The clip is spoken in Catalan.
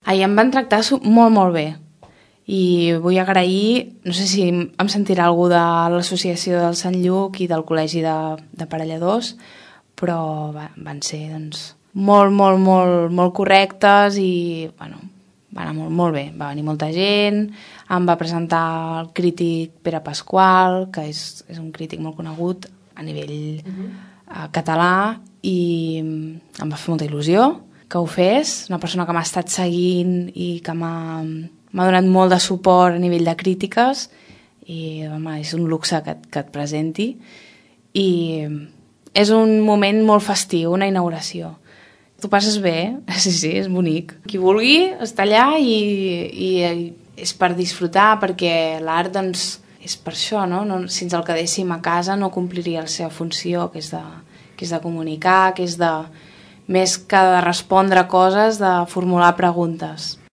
Ahir em van tractar molt, molt bé. I vull agrair, no sé si em sentirà algú de l'associació del Sant Lluc i del Col·legi de Parelladors, però van ser molt correctes i va anar molt bé. Va venir molta gent, em va presentar el crític Pere Pasqual, que és un crític molt conegut a nivell català, i em va fer molta il·lusió que ho fes, una persona que m'ha estat seguint i que m'ha donat molt de suport a nivell de crítiques, i és un luxe que et presenti, i és un moment molt festiu, una inauguració. Tu passes bé, sí, és bonic. Qui vulgui està allà i és per disfrutar, perquè l'art és per això, no? Si ens el quedéssim a casa no compliria la seva funció, que és de comunicar, que és més que de respondre coses, de formular preguntes.